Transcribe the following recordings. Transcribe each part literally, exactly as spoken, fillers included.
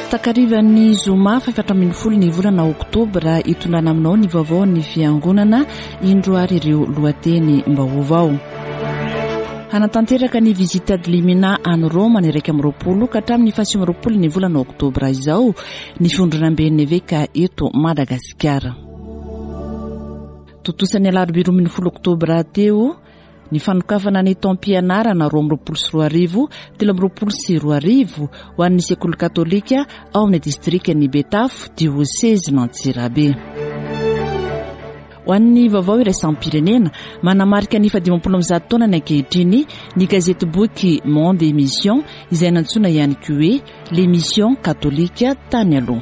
Takarivan'ny zoma fahefatra ambin'ny folo ny volana oktobra, hitondrana aminao ny vaovao ny fiangonana. Indro ary ireo lohateny mba vaovao. Hanatanteraka ny visite ad limina any Roma ny iraika amby roapolo ka hatramin'ny fahasivy amby roapolo ny volana oktobra izao ny fivondronamben'ny eveka eto Madagasikara. Tontosa ny alarobia roa ambin'ny folo oktobra teo ny fanokafana ny taom-pianarana roa amby roapolo sy roa arivo telo amby roapolo sy roa arivo ho an'ny sekoly katolika ao amin'ny distrika ny Betafo, diosezin'Antsirabe. Ho an'ny vaovao iraisam-pirenena, manamarika ny fahadimampolo amby zato taona ny ankehitriny ny gazety boky Monde et Mission, izay nantsoina ihany koa hoe L'Émission catholique tany aloha.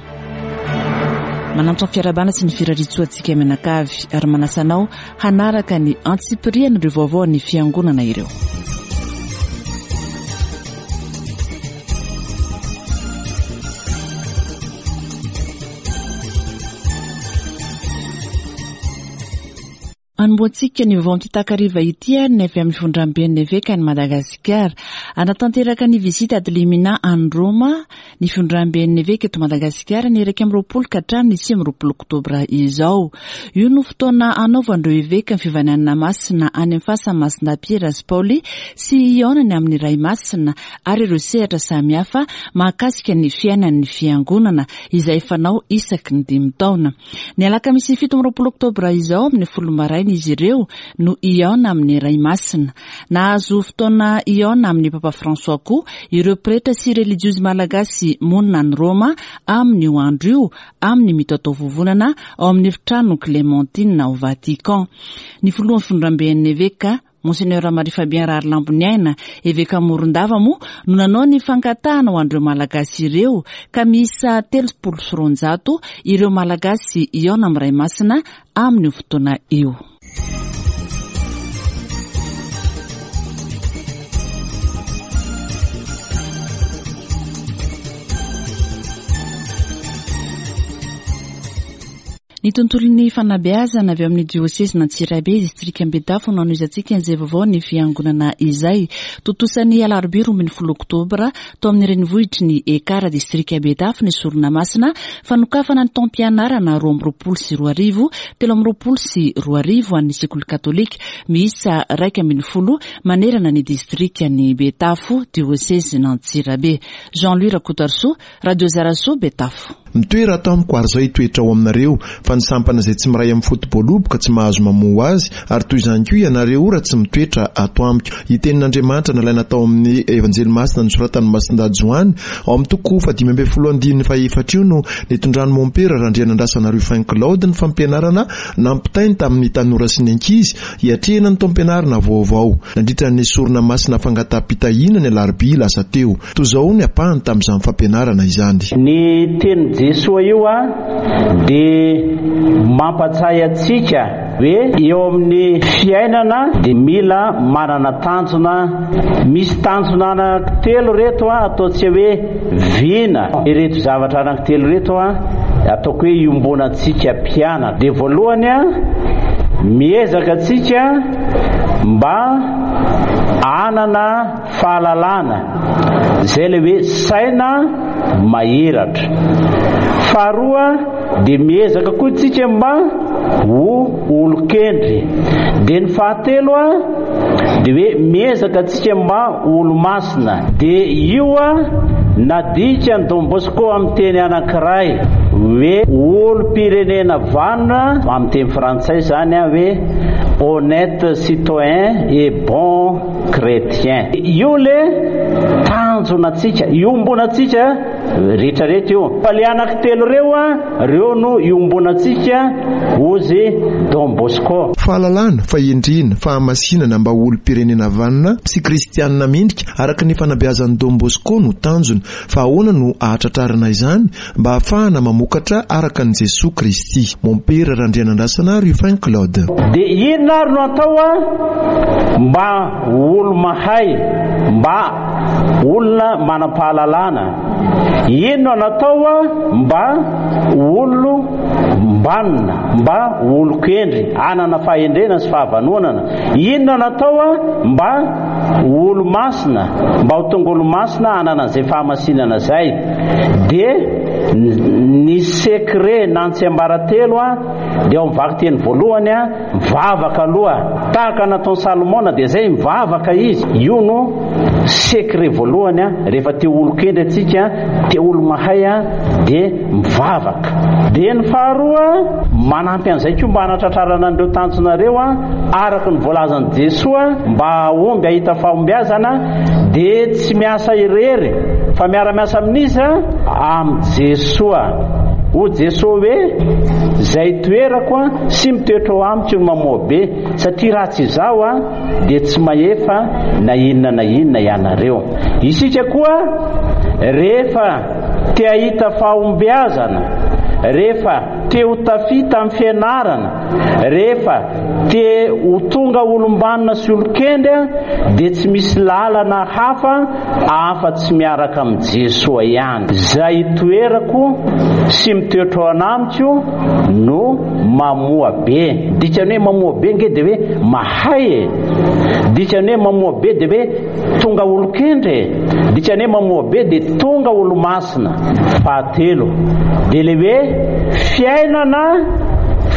Manantitra ny fiarahabana sy ny firariantsoa antsika mianakavy ary manasa anao hanaraka ny antsipirian' ireo vaovao ny fiangonana ireo. Anombohantsika ny vaovao amin'ity takariva ity ary ny avy amin'ny fivondramben'ny eveka ny Madagasikara. Hanatanteraka ny visite ad limina any Roma ny fivondramben'ny eveka eto Madagasikara ny iraika amby roapolo ka hatramin'ny sivy amby roapolo oktobra izao. Io no fotoana anaovan'ireo eveka ny fivahinianana masina any amin'ny fasan'ny Masina Piera sy Paoly sy hihaonany amin'ny Ray Masina ary ireo sehatra samihafa mahakasika ny fiainan'ny fiangonana, izay fanao isaky ny dimy taona. Ny alakamisy fito amby roapolo oktobra izao amin'ny folo maraina izy ireo no hihaona amin'ny Ray Masina. Nahazo fotoana hihaona amin'ny Papa François koa ireo pretra sy relijiozy malagasy monina any Roma amin'io andro io, amin'ny mitataovovonana ao amin'ny efitrano Clémentine ao Vatican. Ny filohan'ny fivondramben'ny eveka, Monseigneur Marie Fabien Rahariliamboniaina, eveka Morondava moa no nanao ny fangatahana ho an'ireo malagasy ireo, ka miisa telopolo sy roanjato ireo malagasy hihaona amin'ny Ray Masina amin'io fotoana io. Ny tontolon'ny fanabeazana avy amin'ny diosezin'Antsirabe, distrika Betafo no anohizantsika izay vaovao ny fiangonana izay. Tontosa ny alarobia roa ambin'ny folo oktobra tao amin'ny renivohitry ny Ekara, distrika Betafo, ny sorona masina fanokafana ny taom-pianarana roa amby roapolo sy roa arivo telo amby roapolo sy roa arivo an'ny sekoly katolika miisa raika ambin'ny folo manerana ny distrika ny Betafo, diosezin'Antsirabe. Jean-Louis Rakotoarisoa, Radio Zarasoa, Betafo. Mitoera ato amiko ary izao hitoetra ao aminareo, fa ny sampana izay tsy miray amin'ny foto-boaloboka tsy mahazo mamoa azy, ary toy izany koa ianareo raha tsy mitoetra ato amiko. Io tenin'Andriamanitra nalaina tao amin'ny Evanjely Masina nosoratan'i Masindahy Joany ao amin'ny toko fahadimy ambin'ny folo andininy fahefatra io no nitondran'i Mompera Randrianandrasana Rufin Claude ny fampianarana nampitainy tamin'ny tanora sy ny ankizy hiatrehana ny taom-pianarana vaovao nandritra ny sorona masina fangataham-pitahiana ny alarobia lasa teo. Toy izao ny ampahany tamin'izany fampianarana izany. Ny tenin'i Jesoa io a dia mampatsiahy antsika hoe eo amin'ny fiainana dia mila manana tanjona. Misy tanjona anankitelo reto a ataontsika hoe vina. Ireto zavatra anankitelo reto a ataoko hoe iombonantsika mpianatra. Dia voalohany a miezaka antsika mba hanana fahalalana, izay ilay hoe saina mahiratra. Faharoa dia miezaka koa tsika mba ho olon-kendry. Dia ny fahatelo a dia hoe miezaka tsika mba ho olo-masina. Dia io a nadika ny Don Bosco amin'ny teny anankiray hoe olom-pirenena vanona, amin'ny teny frantsay izany a hoe honnête citoyen et bon chrétien. Io le tanjona antsika, iombonantsika rehetrarehetra io. Fa le anankitelo reo a, reo no iombonantsika hozy Don Bosco. Fahalalana, fahendrena, fahamasinana mba ho olom-pirenena vanona sy kristianina mendrika araka ny fanabeazan'i Don Bosco no tanjona. Fa ahoana no ahatratrarana izany mba hahafahana mamokatra araka an'i Jesoa Kristy? Mompera Randrianandrasana Rufin Claude. Dia inona ary no atao a mba ho olo mahay, mba olona manam-pahalalana? Inona natao mba olom-banona, mba olon-kendry, hanana fahendrena sy fahavanonana? Inona natao mba olo-masina, mba ho tonga olo-masina hanana an'izay fahamasinana izay? Dia ny secret na ny tsiambaratelo a dia ao amin'ny vakiteny voalohany a, mivavaka aloha, tahaka nataon'i Salomona, dia izay mivavaka izy. Io no secret voalohany a, rehefa te olon-kendry antsika, te olo-mahay a, dia mivavaka. Dia ny faharoa, manampy an'izay koa mba hanatratrarana an'ireo tanjonareo a, araka ny voalazan'i Jesoa, mba hahomby hahita fahombiazana, dia tsy miasa irery fa miara-miasa amin'iza? Amin'i Jesoa. Hoy Jesoa hoe, izay toerako a sy mitoetra ao amiko no mamoa be, satria raha tsy izaho a dia tsy mahefa na inona na inona ianareo. Isika koa rehefa te hahita fahombiazana, rehefa te ho tafita amin'ny fianarana, rehefa te ho tonga olom-banona sy olon-kendry, dia tsy misy lalana hafa afa-tsy miaraka amin'i Jesoa ihany. Izay toerako sy mitoetra ao anamiko no mamoa be. Dikany hoe mamoa be nge dia hoe mahay e. Dikany hoe mamoa be dia hoe tonga olon-kendry e. Dikany hoe mamoa be dia tonga olo-masina. Fahatelo dia le hoe fiainana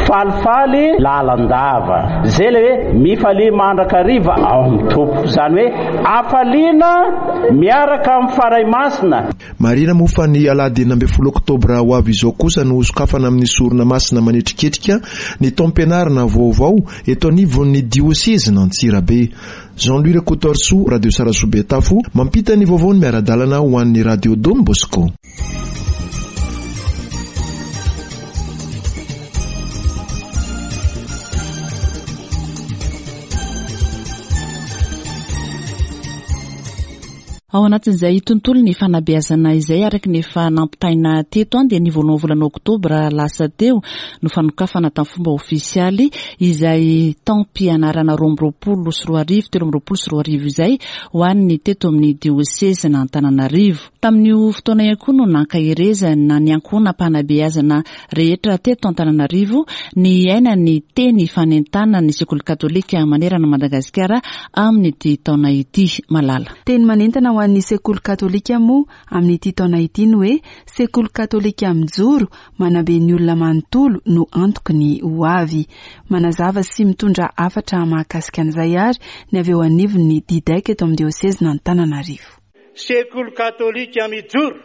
falifaly lalandava. Zay le hoe mifalia mandrakariva ao amin'ny Tompo. Izany hoe hafaliana miaraka amin'ny Fanahy Masina. Marina moa fa ny alahady enina ambin'ny folo oktobra ho avy izao kosa no hosokafana amin'ny sorona masina manetriketrika ny taom-pianarana vaovao eto anivon'ny diosezin'Antsirabe. Jean-Louis Rakotoarisoa, Radio Sarasoa Betafo, mampita ny vaovao ny miara-dalana ho an'ny Radio Don Bosco. Ao anatin'izay tontolo ny fanabeazana izay araka ny efa nampitaina teto an, dia ny voalohany volana oktobra lasa teo no fanokafana tamin'ny fomba ofisialy izay taom-pianarana roa amby roapolo sy roa arivo, telo amby roapolo sy roa arivo izay ho an'ny teto amin'ny diosezin'Antananarivo. Tamin'io fotoana ihany koa no nankaherezana ny ankohonam-panabeazana rehetra teto Antananarivo ny aina ny teny fanentanana ny sekoly katolika manerana Madagasikara amin'ity taona ity. Malala. Teny manentana ho an'ny sekoly katolika moa amin'ity taona ity ny hoe sekoly katolika mijoro manabe ny olona manontolo no antoky ny ho avy. Manazava sy mitondra hafatra mahakasika an'izay ary ny avy eo anivon'ny Didec eto amin'ny diosezin'Antananarivo. Sekoly katolika mijoro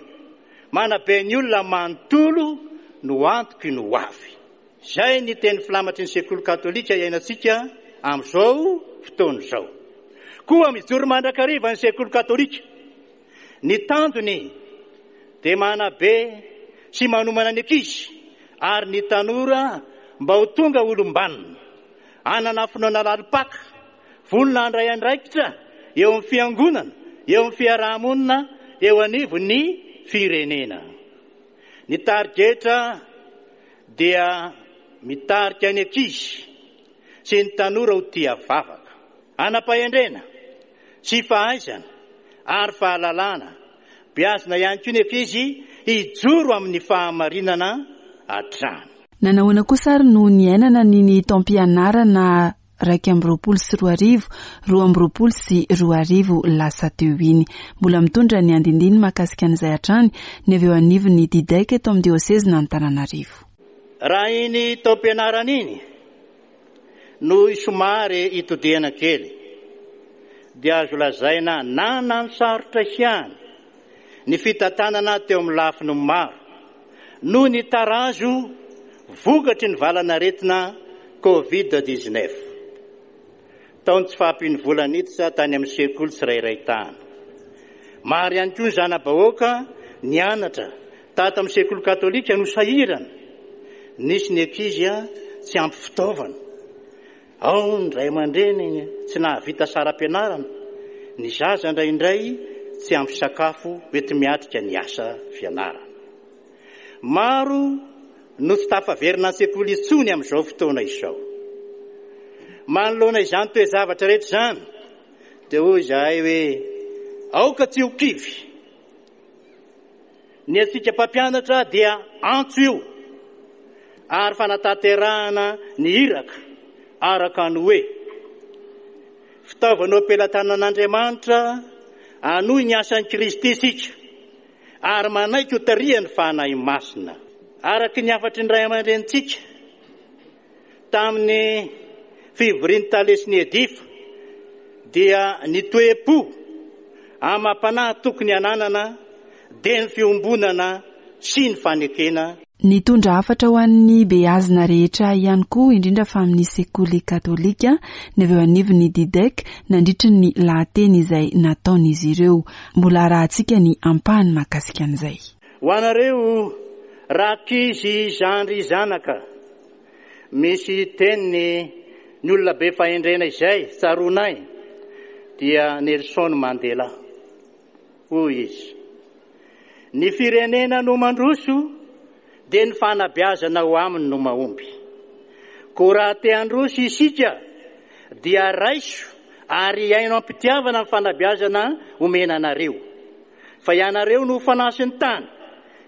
manabe ny olona manontolo no antoky ny ho avy. Izay ny teny filamatry ny sekoly katolika iainantsika amin'izao fotoana izao. Koa mijoro mandrakariva ny sekoly katolika. Ny tanjony dia manabe sy manomana ny ankizy ary ny tanora mba ho tonga olom-banona, hanana finoana lalim-paka, vonona handray andraikitra eo amin'ny fiangonana, eo amin'ny fiarahamonina, eo anivon'ny firenena. Ny tarigetra dia mitarika ny ankizy sy ny tanora ho tia vavaka, hanam-pahendrena sy fahaizana ary fahalalana. Beazina ihany koa ny ankizy hijoro amin'ny fahamarinana hatrany. Nanahoana kosa ary no niainana ny ny taom-pianarana iraika amby roapolo sy roa arivo, roa amby roapolo sy roa arivo lasa teo iny. Mbola mitondra ny andindiny mahakasika an'izay hatrany ny avy eo anivon'ny Didec eto amin'ny diosezin'Antananarivo. Raha iny taom-pianarana iny no somary itodihana kely, dia azo lazaina nanano sarotra ihany ny fitantanana teo amin'ny lafiny maro noho ny tarazo vokatry ny valanaretina covid dix-neuf. Tao ny tsy fahampian'ny vola niditra tany amin'ny sekoly tsirairay tany. Maro ihany koa ny zana-bahoaka nianatra tato amin'ny sekoly katolika no sahirana. Nisy ny ankizy tsy ampy fitaovana. Ao ny ray aman-dreny tsy nahavita saram-pianarana, ny zaza indraindray tsy ampy sakafo hoenti-miatrika ny asa fianarana. Maro no tsy tafaverina an-tsekoly intsony amin'izao fotoana izao. Manoloana izany toe-zavatra rehetra izany, dia hoy izahay hoe aoka tsy ho kivy. Ny antsika mpampianatra dia antso io ary fanatanterahana ny iraka araka ny hoe fitaovana am-pelatanan'Andriamanitra hanohy ny asan'i Kristy isika ary manaiky ho tarihan'ny Fanahy Masina. Araka ny hafatry ny ray aman-drenintsika tamin'ny fivorian'ny tale sy ny edifa dia ny toe-po amam-panahy tokony hananana dia ny fiombonana sy ny fanekena. Nitondra hafatra ho an'ny beazina rehetra ihany koa, indrindra fa amin'ny sekoly katolika, ny avy eo anivon'ny DIDEC nandritry ny lahateny izay nataon'izy ireo. Mbola arahantsika ny ampahany mahakasika an'izay. Ho anareo rankizy zandry zanaka, misy teniny ny olona be fahendrena izay tsaroanay dia Nelson Mandela. Hoy izy: ny firenena no mandroso dia ny fanabeazana ho aminy no mahomby. Koa raha te handroso isika dia raiso ary iaino am-pitiavana ny fanabeazana omena anareo. Fa ianareo no fanasin'ny tany,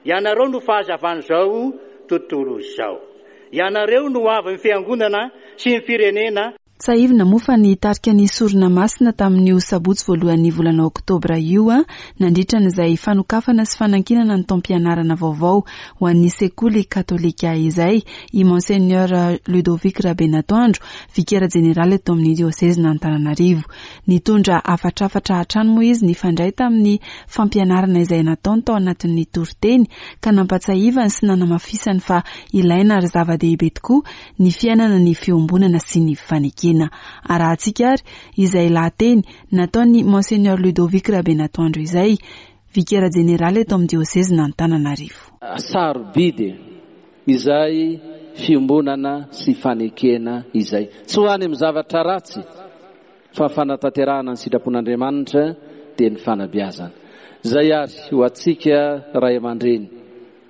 ianareo no fahazavan'izao tontolo izao. Ianareo no avin'ny fiangonana sy ny firenena. Tsiahivina moa fa nitarika ny sorona masina tamin'io sabotsy voalohan'ny volana oktobra io a nandritra an'izay fanokafana sy fanankinana ny taom-pianarana vaovao ho an'ny sekoly katolika izay i Monseigneur Ludovic Rabenatoandro, vikera jeneraly eto amin'ny diosezin'Antananarivo. Nitondra hafatrafatra hatrany moa izy nifandray tamin'ny fampianarana izay nataony tao anatin'ny toriteny ka nampatsiahivany sy nanamafisany fa ilaina ary zava-dehibe tokoa ny fiainana ny fiombonana sy ny fanekena. Arahantsika ary izay lahateny nataon'ny Monseigneur Ludovic Rabenatoandro izay, vikera jeneraly eto amin'ny diosezin'Antananarivo. Sarobidy izay fiombonana sy fanekena izay. Tsy ho any amin'ny zavatra ratsy fa fanatanterahana ny sitrapon'Andriamanitra dia ny fanabeazana. Izay ary ho antsika ray aman-dreny,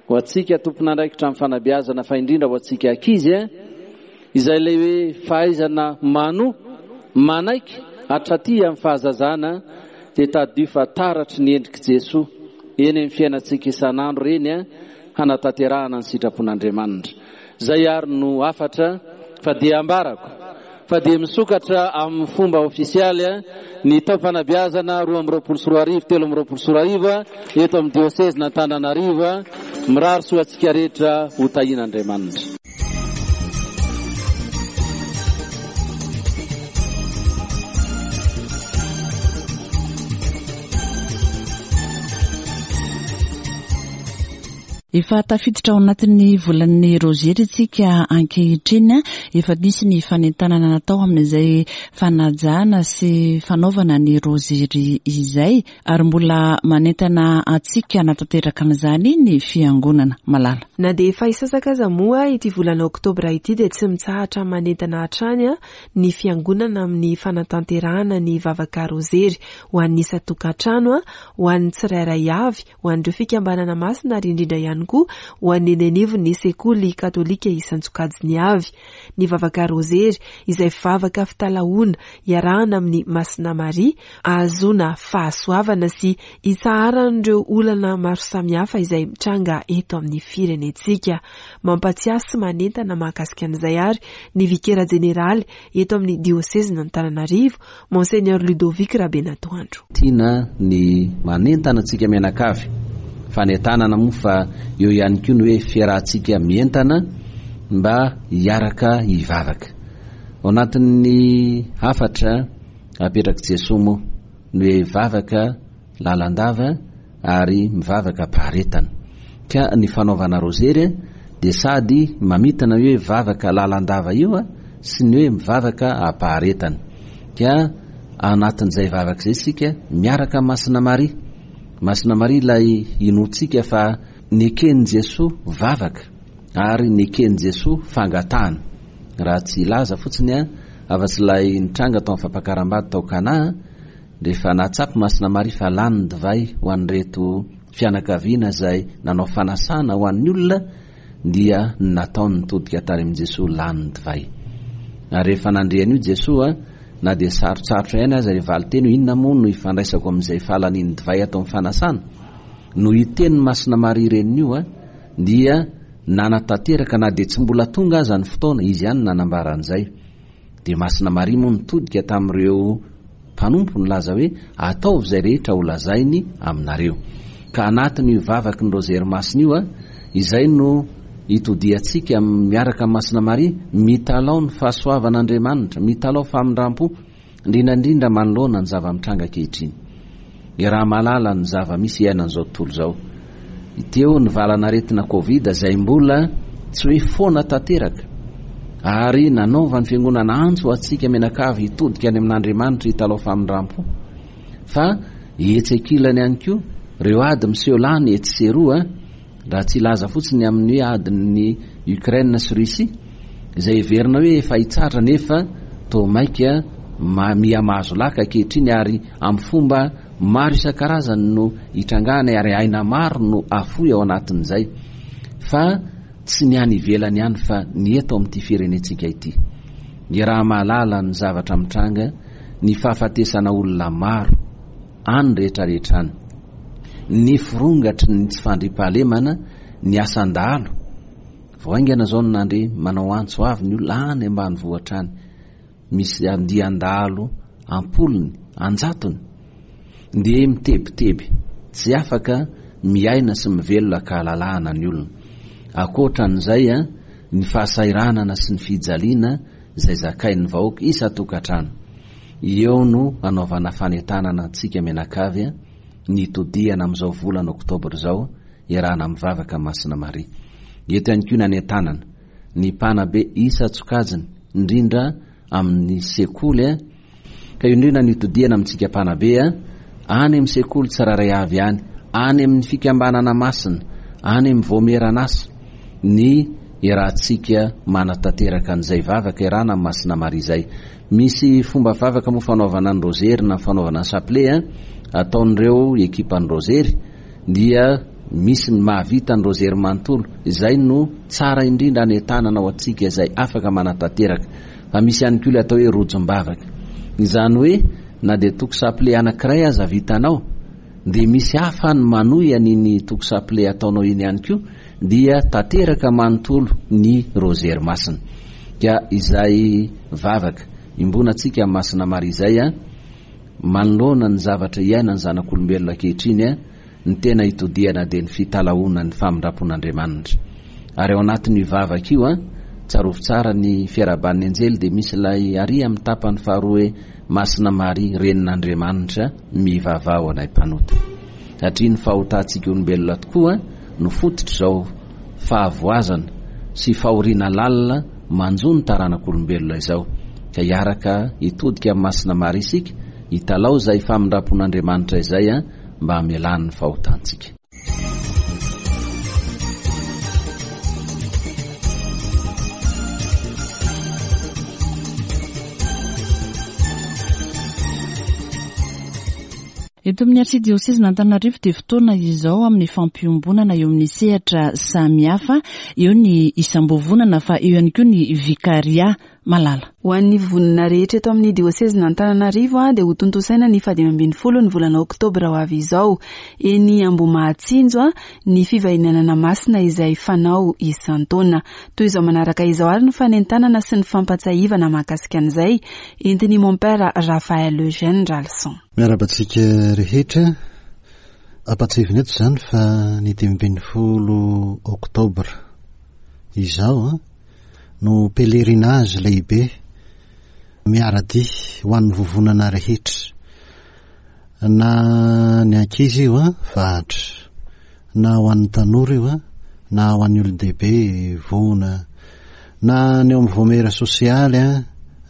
ho antsika tompon'andraikitra amin'ny fanabeazana, fa indrindra ho antsika ankizy, izay ilay hoe fahaizana mano, manaiky hatraty amin'ny fahazazana dia tadidio fa taratry ny endrik'i Jesoa eny amin'ny fiainantsika isan'andro ireny hanatanterahana ny sitrapon'Andriamanitra. Izay ary no hafatra fa dia ambarako fa dia misokatra amin'ny fomba ofisialy ny taom-panabeazana roa amby roapolo sy roa arivo, telo amby roapolo sy roa arivo eto amin'ny diosezin'Antananarivo. Mirary soa antsika rehetra ho tahian'Andriamanitra. Efa tafiditra ao anatin'ny volan'ny rozery isika ankehitriny. Efa nisy ny fanentanana natao amin'izay fanajana sy fanaovana ny rozery izay, ary mbola manentana antsika hanatanteraka an'izany ny fiangonana. Malala. Na dia efa hisasaka aza moa ity volana oktobra ity dia tsy mitsahatra manentana hatrany ny fiangonana amin'ny fanatanterahana ny vavaka rozery ho an'ny isan-tokantrano, ho an'ny tsirairay avy, ho an'ireo fikambanana masina ary indrindra ihany koa ho an'ny eny anivon'ny sekoly katolika isan-tsokajiny avy. Ny vavaka rozery izay vavaka fitalahoana iarahana amin'ny Masina Maria ahazoana fahasoavana sy hitsaharan'ireo olana maro samihafa izay mitranga eto amin'ny firenentsika. Mampatsiahy sy manentana mahakasika an'izay ary ny vikera jeneraly eto amin'ny diosezin'Antananarivo, Monseigneur Ludovic Rabenatoandro. Tiana ny manentana antsika mianakavy, fanentanana moa fa eo ihany koa ny hoe fiarahantsika mientana mba hiaraka hivavaka. Ao anatin'ny hafatra apetrak'i Jesoa moa ny hoe vavaka lalandava ary mivavaka am-paharetana. Ka ny fanaovana rozery dia sady mamitana hoe vavaka lalandava io sy ny hoe mivavaka am-paharetana. Ka anatin'izay vavaka izay isika miaraka Masina Maria. Masina Maria ilay inoantsika fa neken'i Jesoa vavaka ary neken'i Jesoa fangatahana. Raha tsy hilaza fotsiny a, afa-tsy ilay nitranga tao amin'ny fampakaram-bady tao Kana, rehefa nahatsapa Masina Maria fa lany ny divay ho an'ireto fianakaviana izay nanao fanasana ho an'ny olona, dia nataony nitodika tany amin'i Jesoa lany ny divay. Ary rehefa nandre an'io Jesoa, na dia sarotsarotra ihany aza ilay valinteny hoe inona moa no ifandraisako amin'izay fahalanian'ny divay atao amin'ny fanasana, Noho io tenin'i Masina Maria reniny io dia nanatanteraka na dia tsy mbola tonga aza ny fotoana, izy ihany nanambara an'izay. Dia Masina Maria moa nitodika tamin'ireo mpanompo nilaza hoe ataovy izay rehetra ho lazainy aminareo. Ka anatin'io vavaky ny Rozery Masina io, izay no itodiantsika miaraka amin'i Masina Maria, mitalao ny fahasoavan'Andriamanitra, mitalao famindram-po, indrindra indrindra manoloana ny zava-mitranga ankehitriny. Iaraha-mahalala ny zava-misy iainan'izao tontolo izao. Teo ny valan'aretina Covid izay mbola tsy hoe foana tanteraka, ary nanaovan'ny fiangonana antso ho antsika mianakavy hitodika any amin'Andriamanitra hitalao famindram-po. Fa etsy ankilany ihany koa ireo ady miseho lany etsy sy eroa, raha tsy hilaza fotsiny amin'ny hoe adin'ny Ukraine sy Russie, izay heverina hoe efa hitsahatra nefa toa maika miha mahazo laka ankehitriny, ary amin'ny fomba maro isan-karazany no hitrangana ary aina maro no afoy ao anatin'izay. Fa tsy ny any ivelany ihany fa ny eto amin'ity firenentsika ity. Ny raha mahalala ny zavatra mitranga, ny fahafatesana olona maro any rehetrarehetra any, ny firongatry ny tsy fandriampahalemana, ny asan-dahalo. Vao haingana izao no nandre manao antso avy ny olona any ambanivohitra any, misy andian-dahalo ampolony, anjatony, dia mitebiteby, tsy afaka miaina sy mivelona ka halalahana ny olona. Ankoatran'izay, ny fahasahiranana sy ny fijaliana izay zakain'ny vahoaka isan-tokantrano. Eo no anaovana fanentanana antsika mianakavy ny hitodihana amin'izao volana oktobra izao, iarahana mivavaka Masina Maria. Eto ihany koa ny anentanana ny mpanabe isan-tsokajiny, indrindra amin'ny sekoly, ka indrindra ny hitodihana amintsika mpanabe any amin'ny sekoly tsirairay avy any, any amin'ny fikambanana masina, any amin'ny voamieran'asa, ny iarahantsika manatanteraka an'izay vavaka iarahana amin'ny Masina Maria izay. Misy fomba vavaka moa fanaovana ny rozery na fanaovana ny chapelet ataon'ireo ekipan'ny rozery, dia misy ny mahavita ny rozery manontolo, izay no tsara indrindra anentanana ho antsika izay afaka manatanteraka. Fa misy ihany koa ilay atao hoe rojom-bavaka, izany hoe na dia toko chapelet anankiray aza vitanao, dia misy hafa ny manohy an'iny toko chapelet ataonao iny ihany koa, dia tanteraka manontolo ny rozery masina. Ka izay vavaka iombonantsika amin'ny Masina Maria izay, manoloana ny zavatra iainan'ny zanak'olombelona ankehitriny, ny tena itodihana dia ny fitalahoana ny famindram-pon'Andriamanitra. Ary ao anatin'io vavaka io, tsarovy tsara ny fiarahaban'ny anjely, dia misy ilay ary amin'ny tapany faharoa hoe Masina Maria, renin'Andriamanitra, mivavaha ho anay mpanota. Satria ny fahotantsika olombelona tokoa no fototr'izao fahavoazana sy fahoriana lalina manjo ny taranak'olombelona izao. Ka hiaraka hitodika amin'ny Masina Maria isika, hitalao izay famindram-pon'Andriamanitra izay mba hamelany ny fahotantsika. Eto amin'ny arsidiosezin'Antananarivo dia fotoana izao amin'ny fampiombonana eo amin'ny sehatra samihafa, eo ny isam-bovonana fa eo ihany koa ny vikaria malala. Ho an'ny vonona rehetra eto amin'ny diosezin'Antananarivo dia ho tontosaina ny fahadimy ambin'ny folo ny volana oktobra ho avy izao eny Ambohimahatsinjo ny fivahinianana masina izay fanao isan-taona. Toy izao manaraka izao ary ny fanentanana sy ny fampatsiahivana mahakasika an'izay entin'i Mompera Raphaël Eugène Ralson. Miarahaba antsika rehetra. Ampatsiahivina eto izany fa ny dimy ambin'ny folo oktobra izao no pèlerinage lehibe miara-dia ho an'ny vovonana rehetra, na ny ankizy io vahatra, na ho an'ny tanora io, na ho an'ny olon-dehibe voana, na ny eo amin'ny voamera sosialy,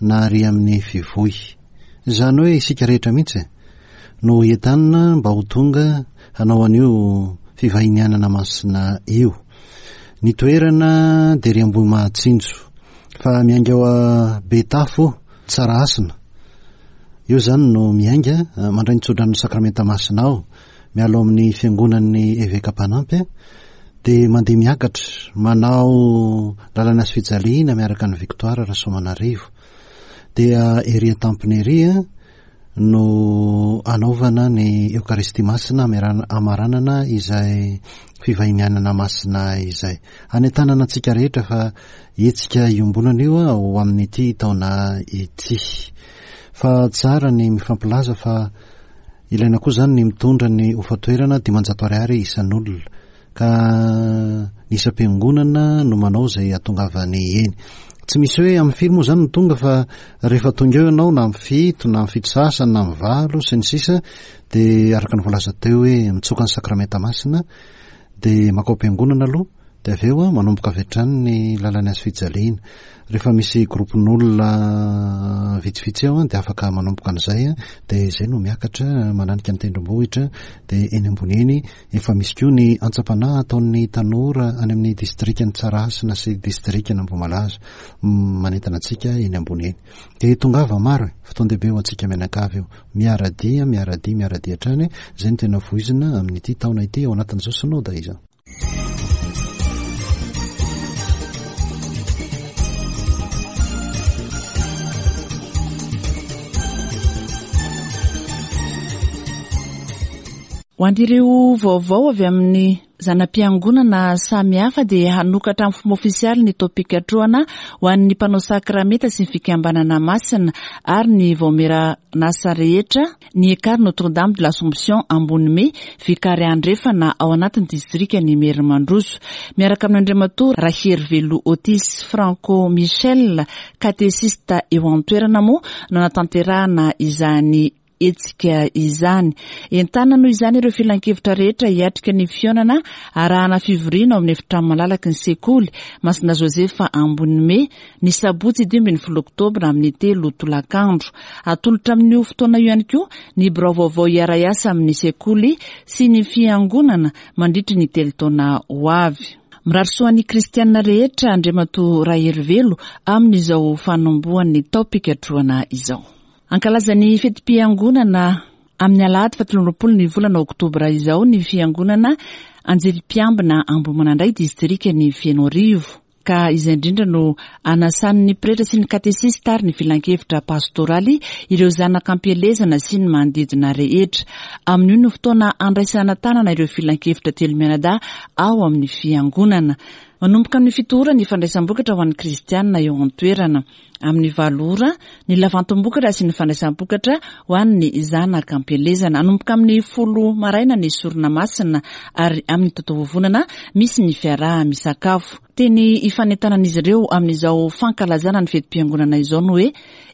na ary amin'ny fivoy. Izany hoe isika rehetra mihitsy no entanina mba ho tonga hanao an'io fivahinianana masina io. Ny toerana dia ry Ambohimahatsinjo, fa miainga ao Betafo Tsarahasina. Eo izany no miainga, mandray ny tsodran'ny sakramenta masina ao, miala ao amin'ny fiangonan'ny eveka mpanampy, dia mandeha miakatra, manao lalana sy fijaliana miaraka ny Victoire Rasoamanarivo. Dia ery an-tampony ery no anaovana ny Eokaristia Masina amaranana izay fivahinianana masina izay. Anentanana antsika rehetra fa hetsika iombonana io ho amin'ity taona ity. Fa tsara ny mifampilaza fa ilaina koa izany ny mitondra ny hofan-toerana dimanjato ariary isan'olona, ka ny isam-piangonana no manao izay hahatongavany eny. Tsy misy hoe amin'ny firy moa izany no tonga fa rehefa tonga eo ianao na amin'ny fito na amin'ny fito sasany na amin'ny valo sy ny sisa dia araka ny voalaza teo hoe mitsoka ny sakramenta masina dia makao am-piangonana aloha dia avy eo manomboka avy hatrany ny lalan'ny hazo fijaliana. Rehefa misy groupe-n'olona vitsivitsy eo dia afaka manomboka an'izay dia izay no miakatra mananika ny tendrombohitra dia eny ambony eny efa misy koa ny antsam-panahy ataon'ny tanora any amin'ny distrikan'i Tsarahasina sy distrikan'Ambohimalaza manentana antsika eny ambony eny. Dia tongava maro e, fotoan-dehibe ho antsika mianakavy io. Miara-dia, miara-dia, miara-dia hatrany, izay no tena voizina amin'ity taona ity ao anatin'izao synoda izao. Ho an'ireo vaovao avy amin'ny zana-piangonana samihafa dia hanokatra amin'ny fomba ofisialy ny taom-pikatrohana ho an'ny mpanao sakramenta sy ny fikambanana masina ary ny vaomieran'asa rehetra ny Ekar Notre-Dame de l'Assomption Ambonime Vikary Andrefana ao anatin'ny distrikan'i Imerimandroso. Miaraka amin'Andriamatoa Raherivelo Otis Franco Michel, katesista eo an-toerana moa no nanatanterahana izany hetsika izany. Entanina noho izany ireo filankevitra rehetra hiatrika ny fihaonana arahana fivoriana ao amin'ny efitrano malalaky ny sekoly Masina Josefa Ambonime ny sabotsy dimy ambin'ny folo oktobra amin'ny telo tolakandro. Atolotra amin'io fotoana io ihany koa ny birao vaovao hiara-hiasa amin'ny sekoly sy ny fiangonana mandritry ny telo taona ho avy. Mirary soa ny kristianina rehetra Andriamatoa Raherivelo amin'izao fanombohan'ny taom-pikatrohana izao. Ankalaza ny fetim-piangonana amin'ny alahady fahatelo amby roapolo ny volana oktobra izao ny fiangonana Anjely Mpiambina Ambohimanandray distrikan'i Fenoarivo. Ka izay indrindra no anasan'ny pretra sy ny katesista ary ny filankevitra pastoraly ireo zanaka ampielezana sy ny manodidina rehetra. Amin'io no fotoana andraisana tanana ireo filankevitra telo mianadahy ao amin'ny fiangonana. Manomboka amin'ny fito ora ny fandraisam-bokatra ho an'ny kristianina eo an-toerana. Amin'ny valo ora ny lavantom-bokatra sy ny fandraisam-bokatra ho an'ny zanaka ampielezana. Hanomboka amin'ny folo maraina ny sorona masina ary amin'ny totovovonana misy ny fiaraha-misakafo. Teny ifanentanan'izy ireo amin'izao fankalazana ny fetim-piangonana izao no hoe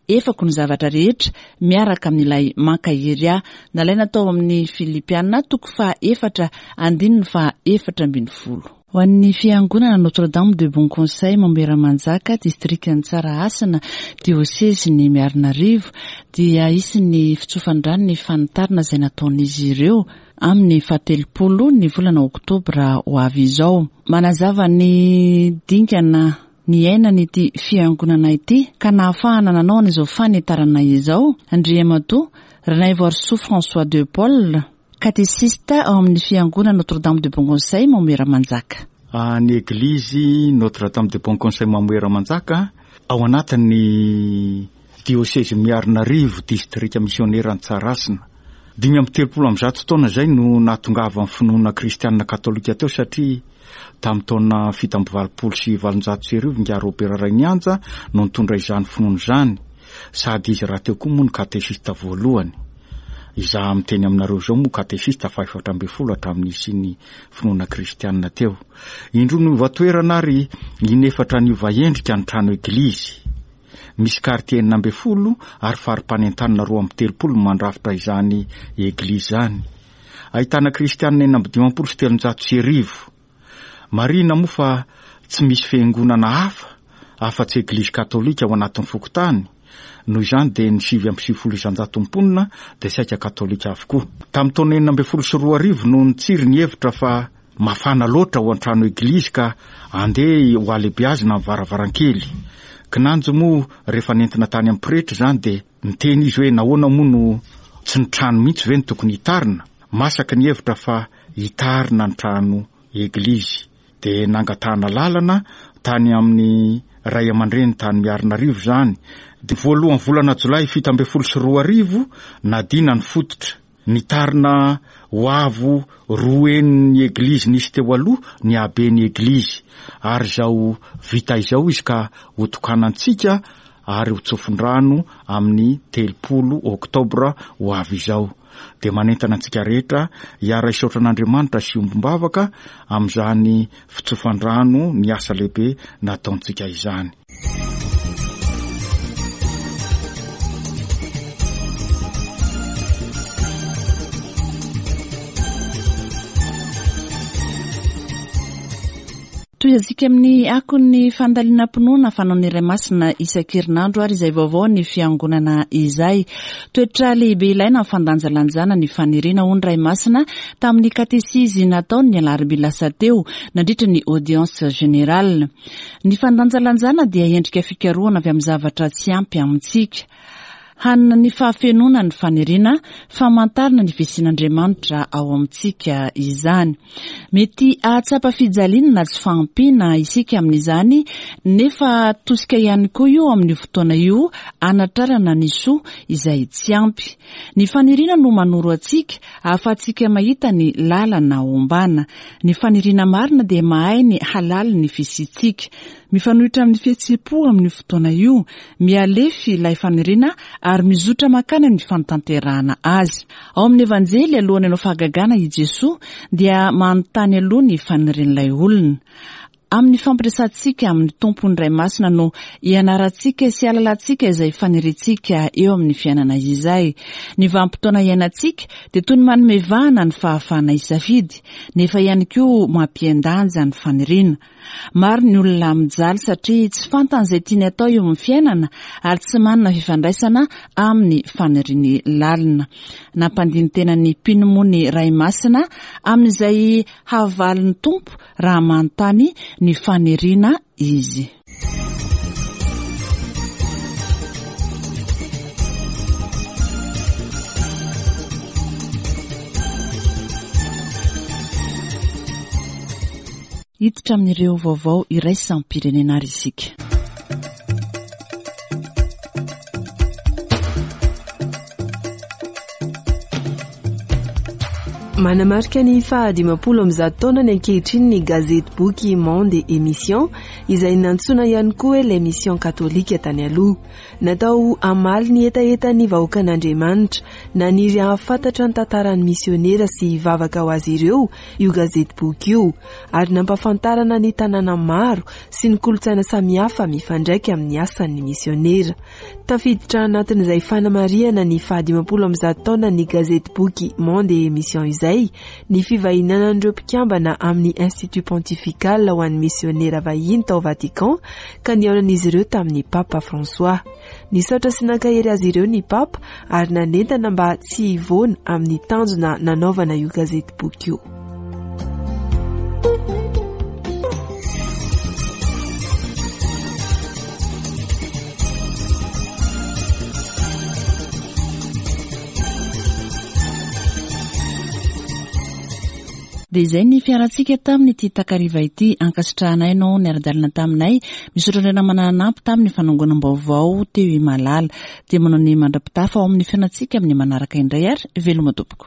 efako ny zavatra rehetra miaraka amin'ilay mankahery ahy. Nalaina tao amin'ny Filipiana toko faha efatra andininy faha efatra ambin'ny folo. Ho an'ny fiangonana Notre-Dame de Bon Conseil Mamoera-Manjaka distrikan'i Tsarahasina diosezin'i Miarinarivo dia hisy ny fitsofan-drano ny fanitarina izay nataon'izy ireo amin'ny fahatelopolo ny volana oktobra ho avy izao. Manazava ny dingana niainana ity fiangonana ity ka nahafahana nanao an'izao fanitarana izao Andriamatoa Ranaivoarisoa François de Paul, katesista ao amin'ny fiangonana Notre-Dame de Bon Conseil Mamoera-Manjaka. Ny eglizy Notre-Dame de Bon Conseil Mamoera-Manjaka ao anatin'ny diosezy Miarinarivo distrika misionera Tsarahasina. Dimy amby telopolo amby zato taona izay no nahatongavan'ny finoana kristianina katolika teo satria tamin'ny taona fito amby valopolo sy valonjato sy arivo Ingahy Robert Rainianja no nitondra izany finoana izany. Sady izy rahateo koa moa no katesista voalohany. Izaho miteny aminareo izao moa katesista fahaefatra ambin'ny folo hatramin'ny nisian'ny finoana kristianina teo. Indroa niova toerana ary inefatra niova endrika ny trano eglizy. Misy quartier enina ambin'ny folo ary fari-panentanana roa amby telopolo no mandrafitra izany eglizy izany. Ahitana kristianina enina amby dimampolo sy telonjato sy arivo. Marihina moa fa tsy misy fiangonana hafa afa-tsy eglizy katolika ao anatin'ny fokontany. Noho izany dia ny sivy amby sivifolo isanjato mponina dia saika katolika avokoa. Tamin'ny taona enina ambin'ny folo sy roa arivo no nitsiry ny hevitra fa mafana loatra ao an-trano eglizy ka andeha ho alehibeazina ny varavarankely. Kinanjo moa rehefa nentina tany amin'ny pretra izany dia niteny izy hoe nahoana moa no tsy ny trano mihitsy ve no tokony hitarina. Masaka ny hevitra fa hitarina ny trano eglizy. Dia nangatahana lalana tany amin'ny ray aman-dreny tany Miarinarivo izany. Dia voalohan'ny volana jolay fito ambin'ny folo sy roa arivo nadina ny fototra. Nitarina ho avo roa henin'ny eglizy nisy teo aloha ny haben'ny eglizy, ary izao vita izao izy ka hotokanantsika ary ho tsofin-drano amin'ny telopolo oktobra ho avy izao. Dia manentana antsika rehetra hiara-hisaotra an'Andriamanitra sy hiombom-bavaka amin'izany fitsofan-drano ny asa lehibe nataontsika izany. Tohizantsika amin'ny akon'ny fandalinam-pinoana fanaon'ny Ray Masina isan-kerinandro ary izay vaovao ny fiangonana izay. Toetra lehibe ilaina amin'ny fandanjalanjana ny faniriana hoy ny Ray Masina tamin'ny katesizy nataony ny alarobia lasa teo nandritra ny audience générale. Ny fandanjalanjana dia endrika fikarohana avy amin'ny zavatra tsy ampy amintsika. Hanana ny fahafenoana ny faniriana, famantarana ny fisian'Andriamanitra ao amintsika izany. Mety hahatsapa fijaliana na tsy fahampiana isika amin'izany, nefa tosika ihany koa io amin'io fotoana io hanatrarana ny soa izay tsy ampy. Ny faniriana no manoro antsika ahafahantsika mahita ny lalana ombana. Ny faniriana marina dia mahay ny halalin'ny fisiantsika. Mifanohitra amin'ny fihetseham-po amin'io fotoana io, mihalefy ilay faniriana ary mizotra mankany amin'ny fanatanterahana azy. Ao amin'ny Evanjely, alohan'ny hanao fahagagana i Jesoa dia manontany aloha ny fanirian'ilay olona. Amin'ny fampiresantsika amin'ny Tompon'ny Ray Masina no ianarantsika sy ahalalantsika izay faniriantsika eo amin'ny fiainana izay. Ny vanim-potoana iainantsika dia toy ny manome vahana ny fahafahana hisafidy, nefa ihany koa mampihen-danja ny faniriana. Maro ny olona mijaly satria tsy fantany izay tiany atao eo amin'ny fiainana ary tsy manana fifandraisana amin'ny faniriany lalina. Nampandini-tena ny mpino moa ny Ray Masina amin'izay havalin'ny Tompo raha manontany ny faniriana izy. Hiditra amin'ireo vaovao iraisam-pirenena ary isika. Manamarika ny fahadimampolo amby zato taona ny ankehitriny ny gazety boky Monde et Mission izay nantsoina ihany koa hoe l'émission katolika tany aloha. Natao hamaly ny hetahetan'ny vahoakan'Andriamanitra naniry hahafantatra ny tantaran'ny misionera sy hivavaka ho azy ireo io gazety boky io, ary nampahafantarana ny tanàna maro sy ny kolontsaina samihafa mifandraika amin'ny asan'ny misionera. Tafiditra anatin'izay fanamarihana ny fahadimampolo amby zato taona ny gazety boky Monde et Mission izay ny fivahinanan'ireo mpikambana amin'ny Institut Pontifical ho an'ny misionera vahiny tao Vatican ka nihaonan'izy ireo tamin'ny Papa François. Nisaotra sy nankahery azy ireo ny Papa ary nanentana mba tsy hivoana amin'ny tanjona nanaovana io gazety boky io. Dia izay ny fiarantsika tamin'ity takariva ity. Ankasitrahanay no niara-dalana taminay. Misaotra indray namana nanampy tamin'ny fanangonam-baovao teo i Malala. Dia manao ny mandra-pitafa ao amin'ny fiainantsika amin'ny manaraka indray ary veloma tompoko.